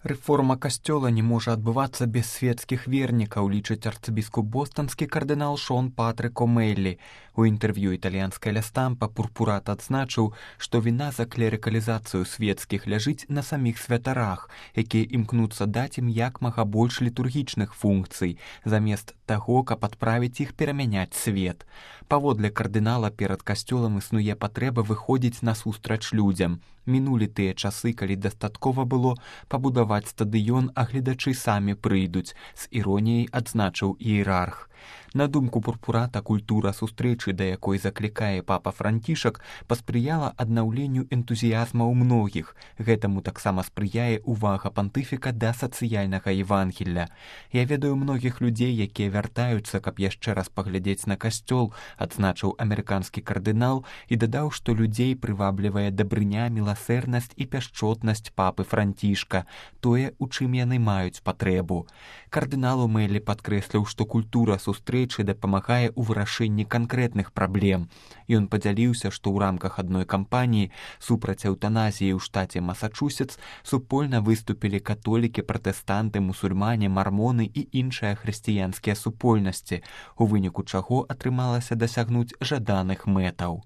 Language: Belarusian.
Рэформа касцёла не можа адбывацца без свецкіх вернікаў, лічыць арцыбіскуп бостанскі кардынал Шон Патрык О'Мэллі. У інтэрв'ю італьянскай ля Стампа Пурпурат адзначыў, што віна за клерыкалізацыю свецкіх ляжыць на саміх святарах, якія імкнуцца даць ім як мага больш літургічных функцый, замест таго, каб адправіць іх перамяняць свет. Паводле кардынала перад касцёлам існуе патрэба выходзіць насустрач людзям. Мінулі тыя часы, калі дастаткова было пабудаваць стадыён, а гледачы самі прыйдуць, з іроніяй адзначыў іерарх. На думку Пурпурата, культура сустрэчы, да якой заклікае папа Францішак, паспрыяла аднаўленню энтузіязма ў многіх. Гэтаму таксама спрыяе увага пантыфіка да сацыяльнага Евангелля. Я ведаю многіх людзей, якія вяртаюцца, каб яшчэ раз паглядзець на касцёл, адзначыў амерыканскі кардынал і дадаў, што людзей прываблівае дабрыня, міласэрнасць і пяшчотнасць папы Францішка, тое, у чым яны маюць патрэбу. Кардынал О'Мэллі падкрэсліў, што культура сустрэчы дапамагае ў вырашэнні канкрэтных праблем. Ён падзяліўся, што ў рамках адной кампаніі супраць эўтаназіі ў штаце Масачусетс супольна выступілі католікі, пратэстанты, мусульмане, мармоны і іншыя хрысціянскія супольнасці, у выніку чаго атрымалася дасягнуць жаданых мэтаў.